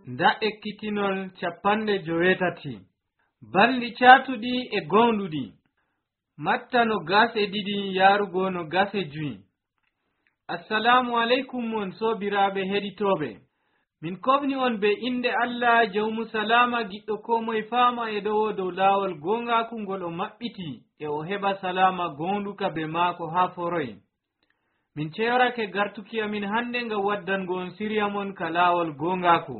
nda ekkitinol 58 balɗi caatuɗi e goonɗuɗi matta 22 yarugo 25. Assalamu alaikum on sobiraɓe heɗitoɓe, min kofni on be inde Allah jawmu salama giɗɗo ko moye fama e ɗowo dow laawol gongaku ngol o maɓɓiti e o heɓa salama gonɗuka be maako ha foroy. Min ceerake gartuki amin hande ngam waddango on siriya mon ka laawol gongaku.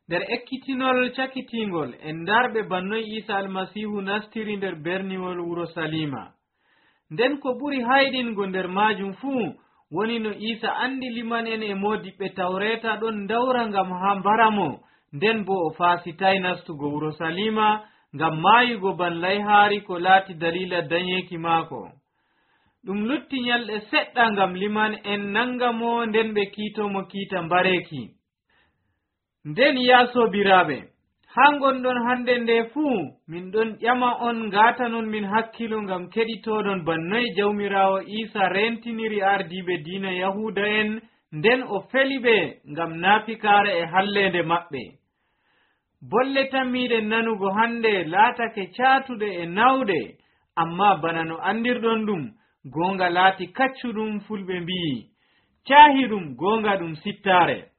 nder ekkitinol cakitingol en darɓe bannoy Isa almasihu nastiri nder berniwol wuro Salima. nden ko ɓuri hayɗingo nder majum fuu woni no Isa andi liman en e modiɓɓe tawreta ɗon dawra ngam ha mbaramo, nden bo o fasitay nastugo wuro Salima ngam mayugo ban layhaari ko laati dalila danyeki maako. ɗum lutti nyalɗe seɗɗa ngam liman en nangamo, nden ɓe kiitomo kiita mbareki. nden ya sobiraɓe, ha gonɗon hande nde fuu min ɗon ƴama on ngatanon min hakkilo ngam keɗitoɗon bannoy jawmirawo Isa rentiniri ardiɓe diina Yahuda en, nden o feli ɓe ngam naafikare e hallende maɓɓe. bolle tammiɗe nanugo hande laatake caatuɗe e nawɗe, amma bana no andirɗon ɗum gonga laati kaccuɗum. fulɓe mbi'i caahi ɗum gonga ɗum sittare.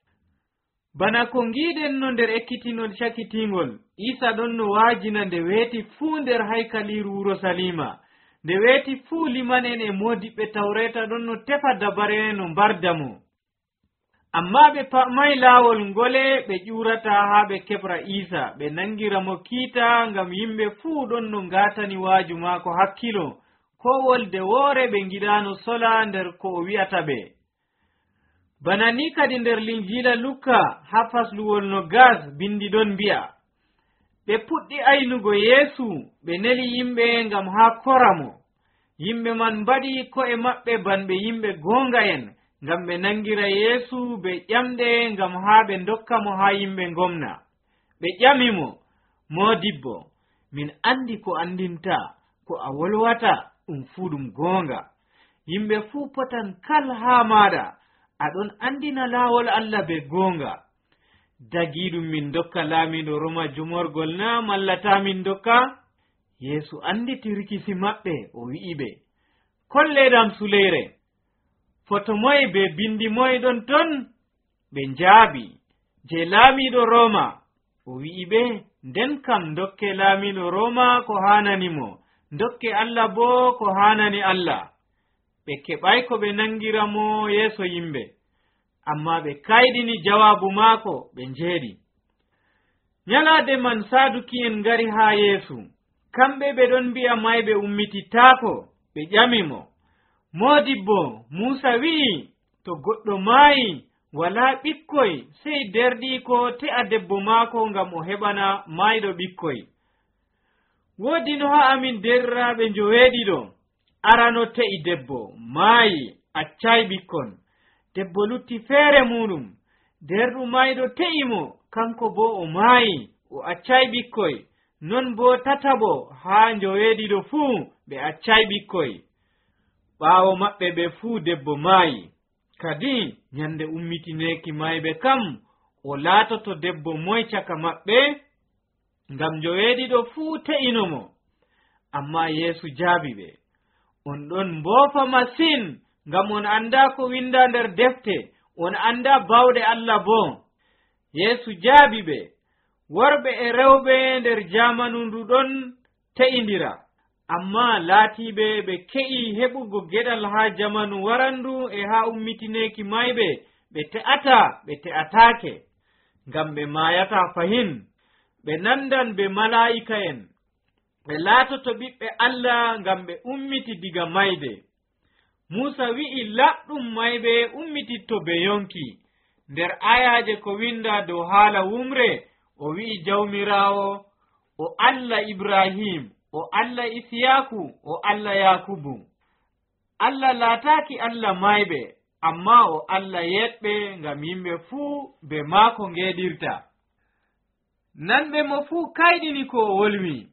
bana ko ngiɗen no nder ekkitinol cakitingol, Isa ɗon no waajina nde weeti fuu nder haykaliru wuro Salima. nde weeti fuu liman en e modiɓɓe tawreta ɗon no tefa dabare no mbarda mo. amma ɓe pamay laawol ngole ɓe ƴurata haa ɓe keɓra Isa ɓe nangira mo kiita, ngam yimɓe fuu ɗon no ngatani waaju maako hakkilo, ko wolde woore ɓe ngiɗano sola nder ko o wi'ata ɓe. bana ni kadi nder linjila Lukka ha fasluwol 20 bindi ɗon mbi'a, ɓe puɗɗi aynugo Yeesu ɓe neli yimɓe ngam ha koramo. yimɓe man mbaɗi ko'e maɓɓe banɓe yimɓe gonga en ngam ɓe nangira Yeesu ɓe ƴamɗe ngam ha ɓe dokka mo ha yimɓe gomna. ɓe ƴamimo, modibbo, min andi ko andinta, ko a wolwata ɗum fuu ɗum gonga. yimɓe fuu potan kal ha maɗa, aɗon andina laawol Allah be gonga. dagiɗum min dokka laamiɗo Roma jumorgol na mallata min dokka? Yeesu andi tirkisi maɓɓe, o wi'i ɓe, kolleɗam suleyre, foto moye be bindi moye ɗon ton? ɓe njaabi, je laamiɗo Roma. o wi'i ɓe, nden kam dokke laamiɗo Roma ko hananimo, dokke Allah bo ko hanani Allah. ɓe keɓay ko ɓe nangiramo yeeso yimɓe, amma ɓe kayɗini jawabu maako, ɓe njeeɗi. nyalaade man saduki'en ngari haa Yeesu, kamɓe ɓe ɗon mbi'a mayɓe ummititaako. ɓe ƴamimo, modibbo, Muusa wi'i to goɗɗo maayi walaa ɓikkoy sey derɗi ko te'a debbo maako ngam o heɓana maayɗo ɓikkoy. woodi no ha amin derɗiraaɓe njoweeɗiɗo, arano te'i debbo maayi, accay ɓikkon. debbo lutti feere muɗum, derɗu mayɗo te'imo, kanko bo o maayi, o accay ɓikkoy. non bo tatabo haa njoweeɗiɗo fuu ɓe accay ɓikkoy. ɓaawo maɓɓe ɓe fuu debbo maayi. kadi nyande ummitineki mayɓe kam o laatoto debbo moy caka maɓɓe, ngam njoweeɗiɗo fuu te'inomo. amma Yeesu jaabi ɓe, on ɗon mboofa masin, ngam on anda ko winda nder defte, on anda bawɗe Allah bo. Yeesu jaabi ɓe, worɓe e rewɓe nder jamanu ndu ɗon te'indira, amma laatiɓe ɓe ke'i heɓugo geɗal ha jamanu warandu e ha ummitineki mayɓe, ɓe te'ata ɓe te'atake, ngam ɓe mayata fahin. ɓe nandan be mala'ika en, ɓe laatoto ɓiɓɓe Allah ngam ɓe ummiti diga mayde. Muusa wi'i laɓɗum mayɓe ummititto be yonki. nder ayaje ko winda dow haala wumre, o wi'i jawmirawo o Allah Ibrahim, o Allah Isiyaku, o Allah Yakubu. Allah laataki Allah mayɓe, amma o Allah yeɗɓe, ngam yimɓe fuu be maako ngeɗirta. nanɓe mo fuu kayɗini ko o wolwi.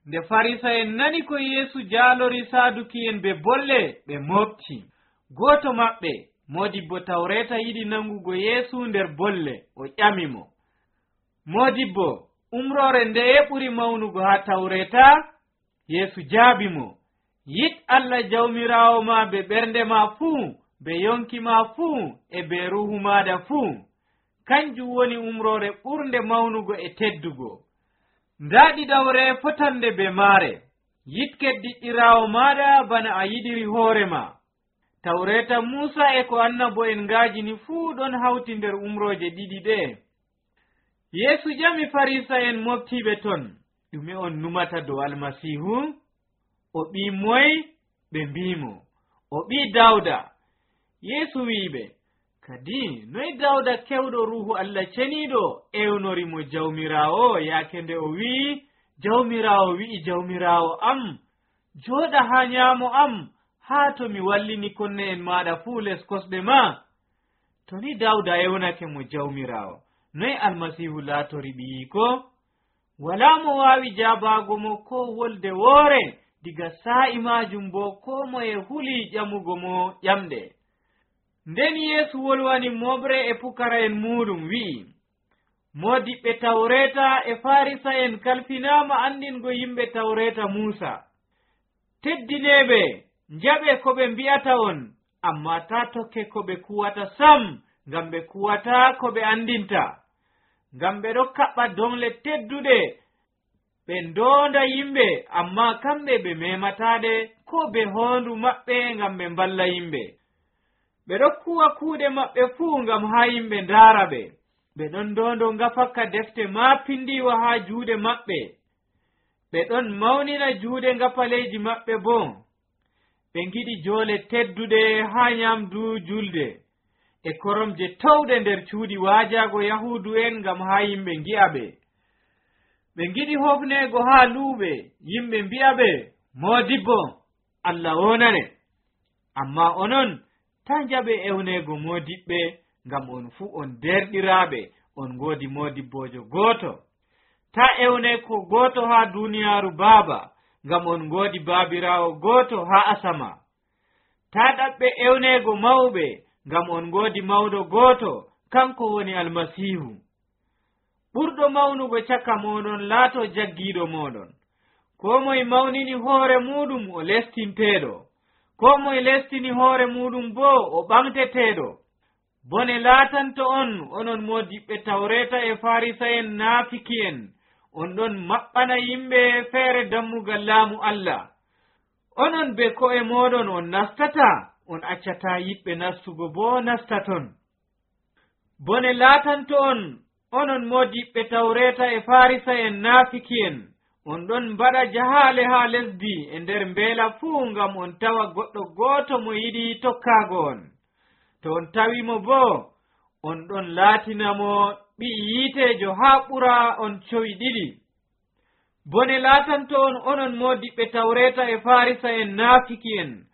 nde farisa en nani ko Yeesu jaalori saduki en be bolle, ɓe mofti. gooto maɓɓe Modibbo Tawreta yiɗi nangugo Yeesu nder bolle, o ƴamimo, Modibbo, umrore ndeye ɓuri mawnugo ha Tawreta? Yeesu jaabimo, yiɗ Allah Jawmirawo ma be ɓernde ma fuu, be yonki ma fuu, e be ruhu maɗa fuu. Kanjum woni umrore ɓurde mawnugo e teddugo. Nda ɗiɗawre fotande be maare. Yiɗ keddiɗɗirawo maɗa bana a yiɗiri hoorema. Tawreta Musa e ko annabo'en ngaajini fuu ɗon hawti nder umroje ɗiɗi ɗe. Yeesu ƴami Farisa'en moftiɓe ton, ɗume on numata dow Almasihu? O ɓii moye? Ɓe mbimo, o ɓii Dawda. Yeesu wi'iɓe, kadi noy Dawda kewɗo Ruuhu Allah ceniiɗo ewnorimo Jawmirawo yaake nde o wi'i, Jawmirawo wi'i Jawmirawo am, jooɗa ha nyaamo am, haa to mi wallini konne en maɗa fuu les kosɗe ma? To ni Dawda ewnake mo Jawmirawo, noy Almasihu laatori ɓiyiko? Walaa mo waawi jaabago mo ko wolde woore, diga sa'i majum bo ko moye huli ƴamugo mo ƴamɗe. Nden Yeesu wolwani moɓre e pukara'en muɗum wi'i, Modiɓɓe Tawreta e Farisa'en kalfinama andingo yimɓe Tawreta Musa. Teddineɓe, njaɓe ko ɓe mbi'ata on, amma ta tokke ko ɓe kuwata sam, ngam ɓe kuwata ko ɓe andinta. Ngam ɓe ɗo kaɓɓa dongle tedduɗe, ɓe ndonda yimɓe, amma kamɓe ɓe memataɗe ko be hondu maɓɓe ngam ɓe mballa yimɓe. Ɓe ɗo kuwa kuuɗe maɓɓe fuu ngam ha yimɓe ndaara ɓe. Ɓe ɗon ndondo ngafakka defte maapindiwa ha juuɗe maɓɓe. Ɓe ɗon mawnina juuɗe ngafaleji maɓɓe bo. Ɓe ngiɗi joole tedduɗe ha nyamdu julde, e koromje towɗe nder cuuɗi waajago Yahudu en ngam ha yimɓe ngi'a ɓe. Ɓe ngiɗi hofneego ha luuɓe, yimɓe mbi'a ɓe, Modibbo, Allah wonane. Amma onon ta njaɓe ewneego modiɓɓe, ngam on fuu on derɗiraaɓe, on ngoodi modibbojo gooto. Ta ewne ko gooto ha duniyaaru Baaba, ngam on ngoodi baabiraawo gooto ha asama. Ta ɗaɓɓe ewneego mawɓe, ngam on ngoodi mawɗo gooto, kanko woni Almasihu. Ɓurɗo mawnugo caka moɗon laato jaggiiɗo moɗon. Ko moye mawnini hoore muɗum o lestinteeɗo, ko moye lestini hoore muɗum bo o ɓamteteeɗo. Bone laatanto on, onon modiɓɓe Tawreta e Farisa'en naafiki'en, on ɗon maɓɓana yimɓe feere dammugal laamu Allah. Onon be ko'e moɗon on nastata, on accata yiɗɓe nastugo bo nastaton. Bone laatanto on, onon modiɓɓe Tawreta e Farisa'en naafiki'en, on ɗon mbaɗa jahaale ha lesdi e nder mbeela fuu ngam on tawa goɗɗo gooto mo yiɗi tokkaago on. To on tawimo bo, on ɗon laatinamo ɓi'i yiitejo ha ɓura on cowi ɗiɗi. Bone laatanto on, onon modiɓɓe Tawreta e Farisa'en naafiki'en,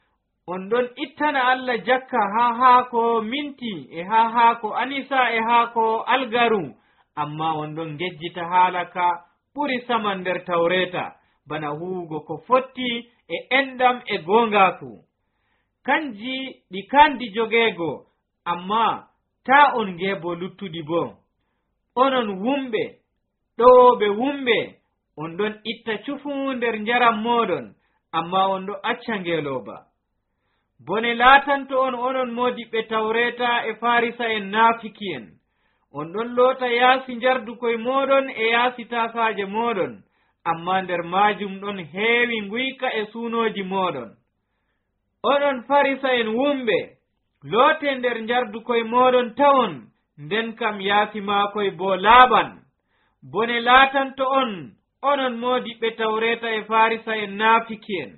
on ɗon ittana Allah jakka ha haako minti e ha haako anisa e haako algaru, amma on ɗon ngejjita haalaka ɓuri saman nder Tawreta, bana huwugo ko fotti e enɗam e gongaku. Kanji ɗi kandi jogeego, amma ta on ngeebo luttuɗi bo. Onon wumɓe, ɗowoɓe wumɓe, on ɗon itta cufu nder njaram moɗon, amma on ɗo acca ngeelooba. Bone laatanto on, onon modiɓɓe Tawreta e Farisa'en naafiki'en, on ɗon loota yaasi njardukoye moɗon e yaasi tasaaje moɗon, amma nder maajum ɗon heewi nguyka e suunoji moɗon. Onon Farisa'en wumɓe, loote nder njardukoye moɗon tawon, nden kam yaasi maakoye bo laaɓan. Bone laatanto on, onon modiɓɓe Tawreta e Farisa'en naafiki'en,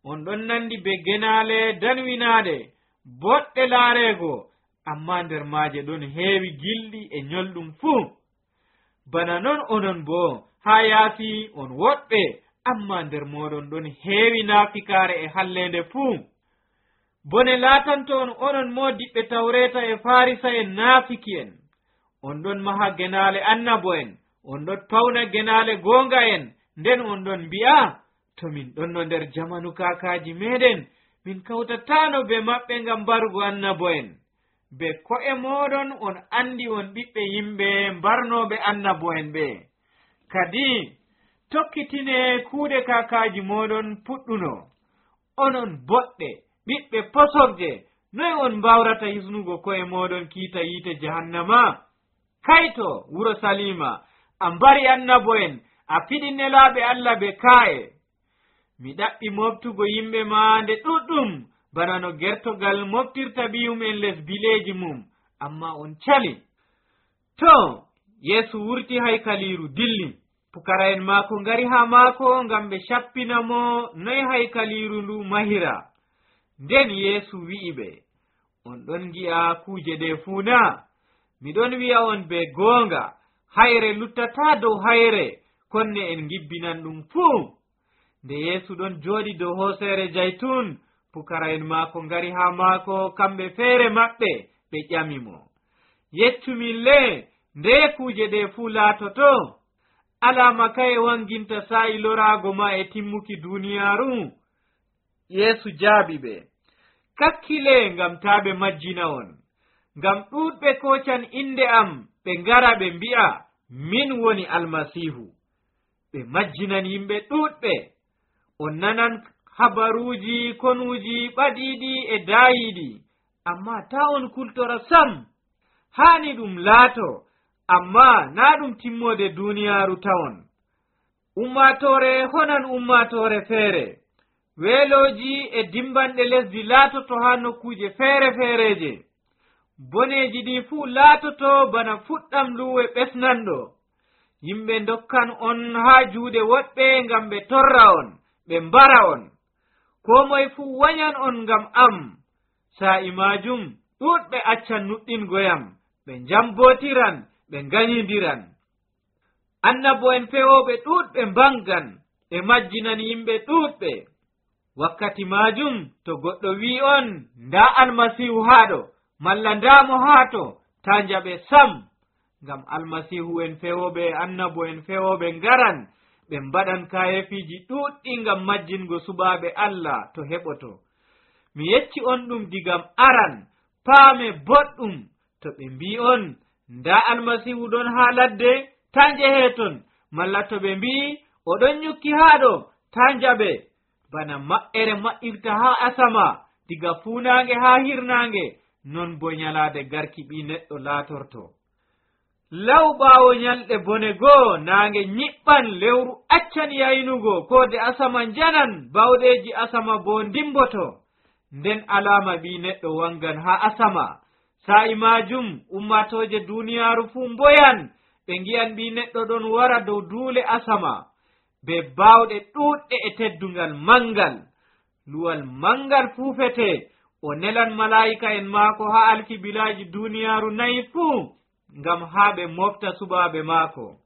on ɗon nandi be genaale danwinaaɗe, boɗɗe laareego, amma nder maaje ɗon heewi gilɗi e ñolɗum fuu. Bana non onon bo, ha yaasi on woɗɓe, amma nder moɗon ɗon heewi naafikaare e hallende fuu. Bone laatanto on, onon modiɓɓe Tawreta e Farisa'en naafiki'en, on ɗon maha genaale annabo'en, on ɗon pawna genaale goonga en, nden on ɗon mbi'a, to min ɗonno nder jamanu kaakaaji meɗen, min kawtatano be maɓɓe ngam mbarugo annabo'en. Be ko'e moɗon on andi on ɓiɓɓe yimɓe mbarnoɓe annabo'en ɓe. Kadi tokkitine kuuɗe kakaji moɗon puɗɗuno. Onon boɗɗe ɓiɓɓe posorje, noy on mbawrata hisnugo ko'e moɗon kiita yiite jahannama? Kayto wuro Salima, a mbari annabo'en, a fiɗi nelaɓe Allah be ka'e. Mi ɗaɓɓi moftugo yimɓe ma nde ɗuɗɗum bana no gertogal moftirta ɓiyum les bileji mum, amma on cali. To Yesu wurti haykaliru dilli. Pukara'en maako ngari ha maako ngam ɓe shappina mo noy haykaliru ndu mahira. Nden Yesu wi'i ɓe, on ɗon gi'a kuje ɗe fuu na? Miɗon wi'a on be goonga, hayre luttata dow hayre, konne en gibbinan ɗum fuu. Nde Yesu ɗon jooɗi dow hoosere jaytun, pukara'en maako ngari ha maako kamɓe feere maɓɓe ɓe ƴamimo, yeccumi le, nde kuje ɗe fuu laatoto? Alama kaye wanginta sa'i loraago ma e timmuki duniyaaru? Yesu jaabi ɓe, kakkile ngam taa ɓe majjina on, ngam ɗuuɗɓe kocan inde am ɓe ngara ɓe mbi'a min woni Almasihu. Ɓe majjinan yimɓe ɗuuɗɓe. On nanan habaruuji konuuji ɓaɗiiɗi e daayiiɗi, amma taa on kultora sam. Haani ɗum laato, amma naa ɗum timmode duniyaaru tawon. Ummaatoore honan ummaatoore feere. Weelooji e dimbanɗe lesdi laatoto haa nokkuuje feere-feereje. Boneeji ɗi fuu laatoto bana fuɗɗam luwe ɓesnanɗo. Yimɓe dokkan on haa juuɗe woɗɓe ngam ɓe torra on, ɓe mbara on. Ko moye fuu wanyan on ngam am. Sa'i majum ɗuuɗɓe accan nuɗɗingoyam, ɓe njambotiran, ɓe nganyindiran. Annabo'en fewoɓe ɗuuɗɓe mbangan, ɓe majjinan yimɓe ɗuuɗɓe. Wakkati majum to goɗɗo wi on nda Almasihu haɗo, malla ndamo haato, ta njaɓe sam, ngam Almasihu en fewoɓe annabo'en fewoɓe ngaran, ɓe mbaɗan kayefiji ɗuɗɗi ngam majjingo suɓaɓe Allah to heɓoto. Mi yecci on ɗum digam aran, paame boɗɗum, to ɓe mbi on nda Almasihu ɗon ha ladde, ta njeheton, malla to ɓe mbi oɗon nyukki haɗo, ta njaɓe. Bana maɓɓere maɓɓirta ha asama, diga funange ha hirnange, non bo nyalade garki ɓi neɗɗo laatorto. Law ɓaawo nyalɗe bone goo, nange nyiɓɓan, lewru accan yaynugo, koode asama njanan, bawɗeji asama bo ndimboto. Nden alama ɓi neɗɗo wangan ha asama. Sa'i majum ummatoje duniyaaru fuu mboyan, ɓe ngi'an ɓi neɗɗo ɗon wara dow duule asama, be bawɗe ɗuɗɗe e teddungal mangal. Luwal mangal fuufete, o nelan malaika en maako ha alkibilaji duniyaaru nayi fuu, ngam haa ɓe mofta suɓaaɓe maako.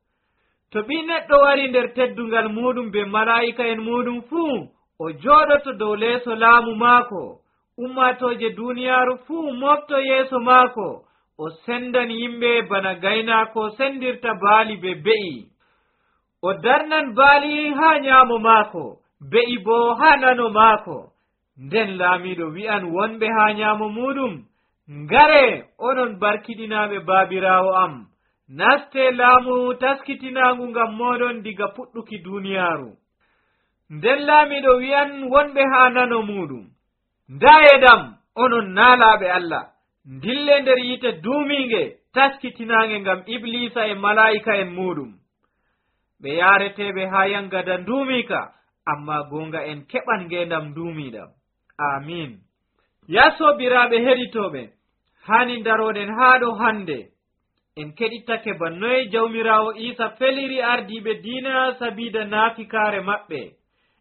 To ɓi neɗɗo wari nder teddungal muɗum be malaika en muɗum fuu, o jooɗoto dow leeso laamu maako. Ummatoje duniyaaru fuu mofto yeeso maako, o sendan yimɓe bana gaynaako sendirta baali be be'i. O darnan baali ha nyaamo maako, be'i bo ha nano maako. Nden laamiɗo wi'an wonɓe ha nyaamo muɗum, ngare onon barkiɗinaaɓe baabiraawo am, naste laamu taskitinaagu ngam moɗon diga puɗɗuki duniyaaru. Nden laamiɗo wi'an wonɓe ha nano muɗum, ndayedam onon naalaaɓe Allah, ndille nder yite duuminge taskitinaange ngam Iblisa e malaika en muɗum. Ɓe yaareteɓe ha yangada nduumika, amma gonga en keɓan ngendam nduumiɗam. Amin. Ya sobiraɓe heɗitoɓe, hani daroɗen haɗo hande, en keɗittake bannoye jawmirawo Isa feliri ardiɓe diina sabida naafikare maɓɓe.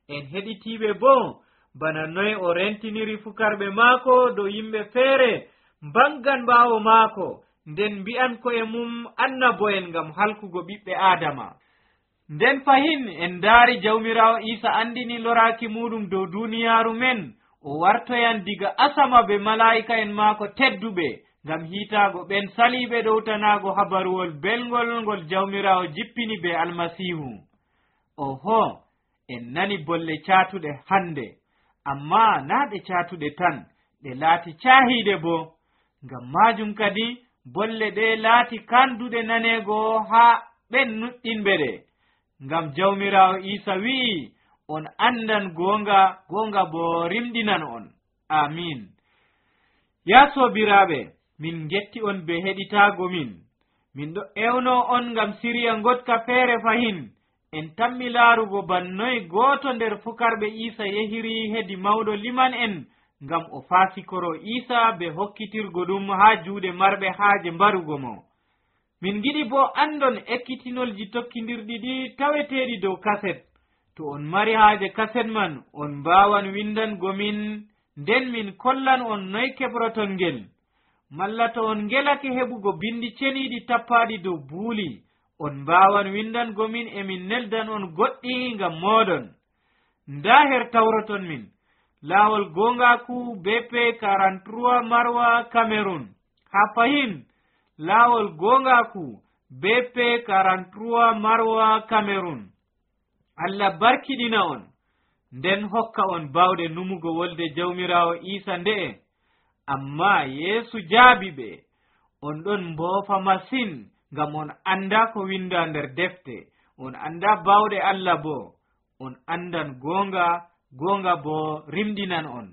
En heɗitiɓe bo bana noye o rentiniri fukarɓe maako dow yimɓe feere mbangan ɓaawo maako, nden mbi'an ko'e mum annabo'en ngam halkugo ɓiɓɓe Adama. Nden fahin en daari jawmirawo Isa andini loraki muɗum dow duniyaaru men, o wartoyan diga asama be malaika en maako tedduɓe, ngam hiitaago ɓen saliɓe ɗowtanago habaruwol belgol ngol jawmirawo jippini be Almasihu. Oho, en nani bolle caatuɗe hande, amma naa ɗe caatuɗe tan, ɗe laati caahiiɗe boo. Ngam maajum kadi bolle ɗe laati kanduɗe naneego haa ɓen nuɗɗinɓe ɗe. Ngam Jawmiraawo Iisa wi'i, on andan goonga, goonga boo rimɗinan on. Amiin. Yaa soobiraaɓe, min getti on be heɗitaago min. Min ɗo ewno on ngam siriya ngotka feere fahin. En tammi laarugo bannoy gooto nder fukarɓe Iisa yehiri hedi mawɗo liman en ngam o faasikoro Iisa be hokkitirgo ɗum haa juuɗe marɓe haaje mbarugo mo. Min giɗi boo andon ekkitinolji tokkindirɗi ɗi taweteeɗi dow kaset. To on mari haaje kaset man, on mbaawan windango min, nden min kollan on noy keɓroton ngel. Malla to on ngelake heɓugo bindi ceniiɗi tappaaɗi dow buuli, on mbaawan windango min min neldan on goɗɗi ngam mooɗon. Ndaa her tawroton min. Laawol gongaku BP 43 Marwa Cameroon. Ha fahin laawol gongaku BP 43 Marwa Cameroon. Allah barkiɗina on, nden hokka on bawɗe numugo wolde Jawmiraawo Iisa nde'e. Amma Yeesu jaabi ɓe, on ɗon mboofa masin ngam on anda ko winda nder defte, on anda bawɗe Allah boo, on andan gonga, gonga boo rimɗinan on.